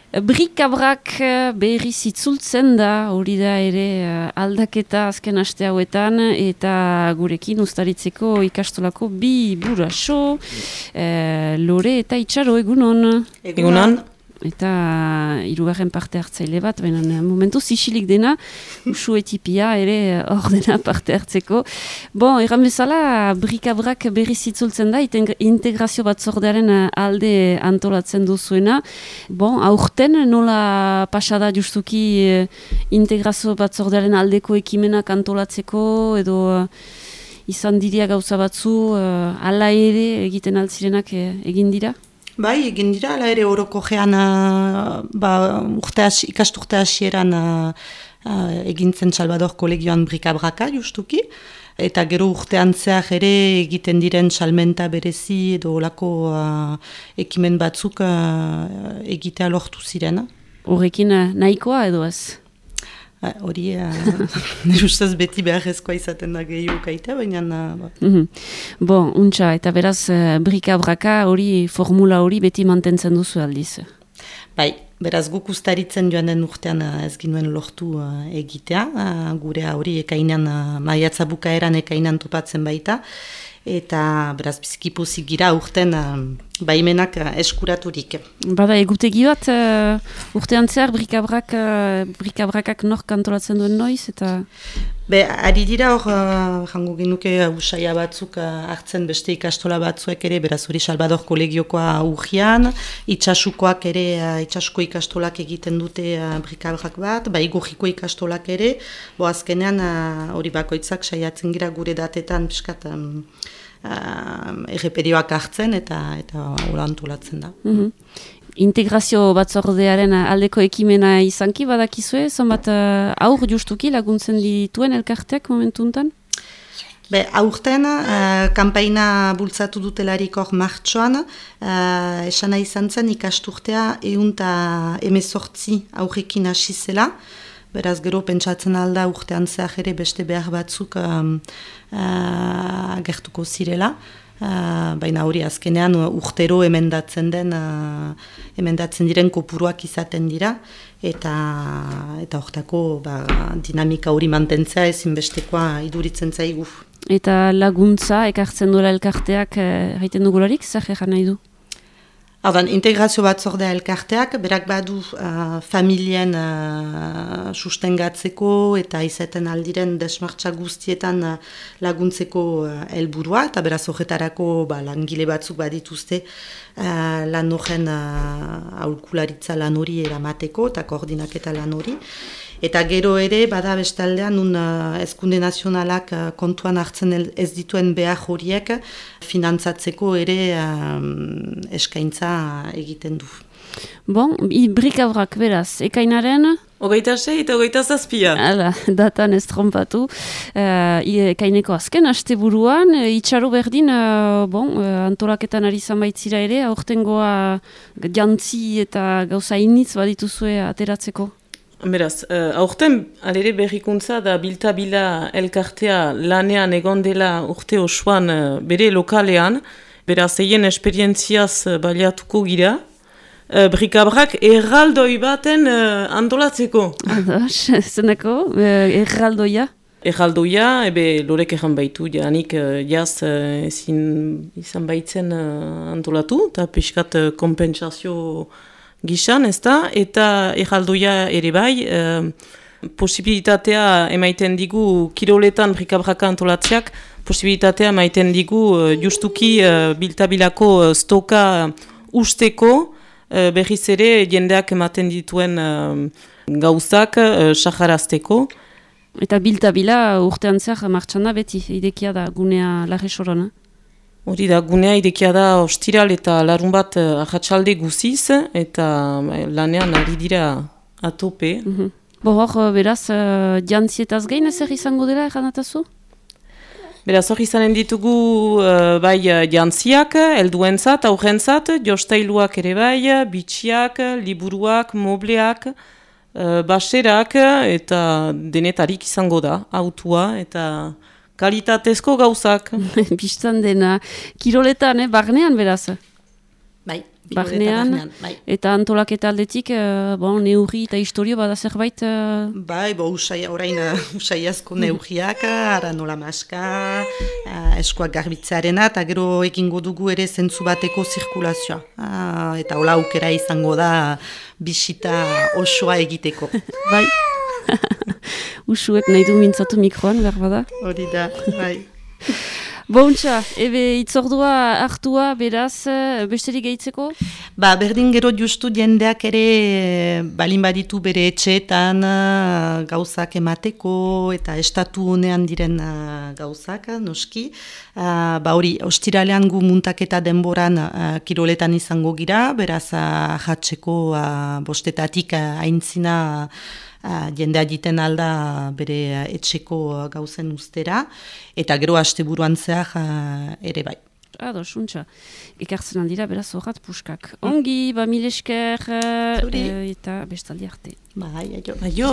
Brikabrak berriz itzultzen da, hori da ere aldaketa azken aste hauetan, eta gurekin ustaritzeko ikastolako bi buraso, Lore eta Itxaro, egunon. Egunon. Eta hirugarren parte hartzaile bat, baina momentuz isilik dena, usu etipia ere ordena parte hartzeko. Bon, erran bezala, Brikabrak berriz itzultzen da, integrazio batzordearen alde antolatzen duzuena. Bon, aurten nola pasada justuki integrazio batzordearen aldeko ekimenak antolatzeko, edo izan diria gauza batzu, ala ere egiten altzirenak egin dira? Bai, egin dira, ala ere orokojean ikasturte hasieran egin zen Salvador kolegioan Brikabraka justuki, eta gero urtean zehar ere egiten diren salmenta berezi edo olako ekimen batzuk egitea lortu ziren. Horrekin nahikoa edo ez? Hori, nire ustez beti beharrezkoa izaten da gehiago kaitea, baina... Bon, untxa, eta beraz, Brikabraka hori, formula hori beti mantentzen duzu aldiz? Bai, beraz guk ustaritzen joan den urtean ez ginuen lortu egitea, gure hori ekainan, maiatza bukaeran ekainan topatzen baita, eta beraz bizkipozik gira urten baimenak eskuraturik. Bada egutegi bat urtean zehar Brikabrakak nork antolatzen duen noiz eta... Ari dira hor, jango genuke usaia batzuk hartzen beste ikastola batzuek ere, beraz hori Salvador kolegiokoa urgian, itxasukoak ere, itxasuko ikastolak egiten dute Brikabrak bat, igurriko ikastolak ere, azkenean hori bakoitzak saiatzen gira gure datetan piskat erreperioak hartzen eta hola antolatzen da. Integrazio batzordearen aldeko ekimena izanki badakizue, zonbat aur justuki laguntzen dituen elkarteak momentuntan? Aurten, kanpaina bultzatu dutelarik hor martxoan, esana izan zen ikasturtea 118 aurrekin hasi zela, beraz gero pentsatzen alda urtean zehar ere beste behar batzuk agertuko zirela. Baina hori azkenean urtero emendatzen diren kopuruak izaten dira eta hortako dinamika hori mantentzea ezinbestekoa iduritzen zaigu. Eta laguntza ekartzen duela elkarteak egiten dugularik, zer egan nahi du? Integrazio batzordea elkarteak, berak badu familien sustengatzeko eta izaten aldiren desmartza guztietan laguntzeko helburua, eta beraz horretarako langile batzuk badituzte lan horren aholkularitza lan hori eramateko eta koordinaketa lan hori. Eta gero ere, bada bestaldean, Hezkunde Nazionalak kontuan hartzen ez dituen behar horiek finantzatzeko ere eskaintza egiten du. Bon, Brikabrak beraz, ekainaren? 26 eta 27. Hala, datan ez trompatu. Ekaineko azken, asteburuan, Itxaro berdin, antolaketan ari zanbaitzira ere, aurtengoa jantzi eta gauza initz badituzue ateratzeko? Beraz, aurten alere berrikuntza da bilta-bila elkartea lanean egon dela urte osoan bere lokalean, beraz eien esperientziaz baliatuko gira, Brikabrak erraldoi baten antolatzeko. Ados, zenako, erraldoia? Erraldoia, Lorek erran baitu, janik jaz ezin izan baitzen antolatu, eta piskat kompensazio gisan, eta erraldoia ere bai, posibilitatea emaiten digu kiroletan Brikabraka antolatzeak, posibilitatea emaiten digu justuki biltabilako stoka usteko, berriz ere jendeak ematen dituen gauzak saharazteko. Eta biltabila urtean zehar martxan da beti, idekia da gunea Larresorona? Hori da, gunea idekia da ostiral eta larun bat ahatsalde guziz, eta lanean ari dira atope. Hor, beraz, jantzietaz gain ezer izango dela erranatazu? Beraz, hor izanen ditugu bai jantziak, helduentzat, aurrentzat, jostailuak ere bai, bitxiak, liburuak, mobleak, baserak, eta denetarik izango da, autua, eta... kalitatezko gauzak. Bistan dena, kiroletan, barnean beraz? Bai, barnean, eta antolaketa aldetik, neurri eta historio bada zerbait? Bai, orain usaiazko neurriak, ara nola maska, eskuak garbitzearena, eta gero egingo dugu ere zentzu bateko zirkulazioa. Eta hola aukera izango da bisita osoa egiteko. Bai, usuek nahi du mintzatu mikroan, berbada? Hori da, bai. Bontxa, itzordua hartua, beraz, besterik gehitzeko? Berdin gero justu jendeak ere balin baditu bere etxeetan gauzak emateko eta estatu honean diren gauzak, noski. Hori, ostiralean gu muntaketa denboran kiroletan izango gira, beraz jatzeko bostetatik aintzina jendea jiten alda bere etxeko gauzen ustera, eta gero asteburuan zehar ere bai. Suntxa. Ekartzen aldira, beraz horrat puskak. Ongi, mil esker, eta bestaldi arte. Bai, aio. Aio.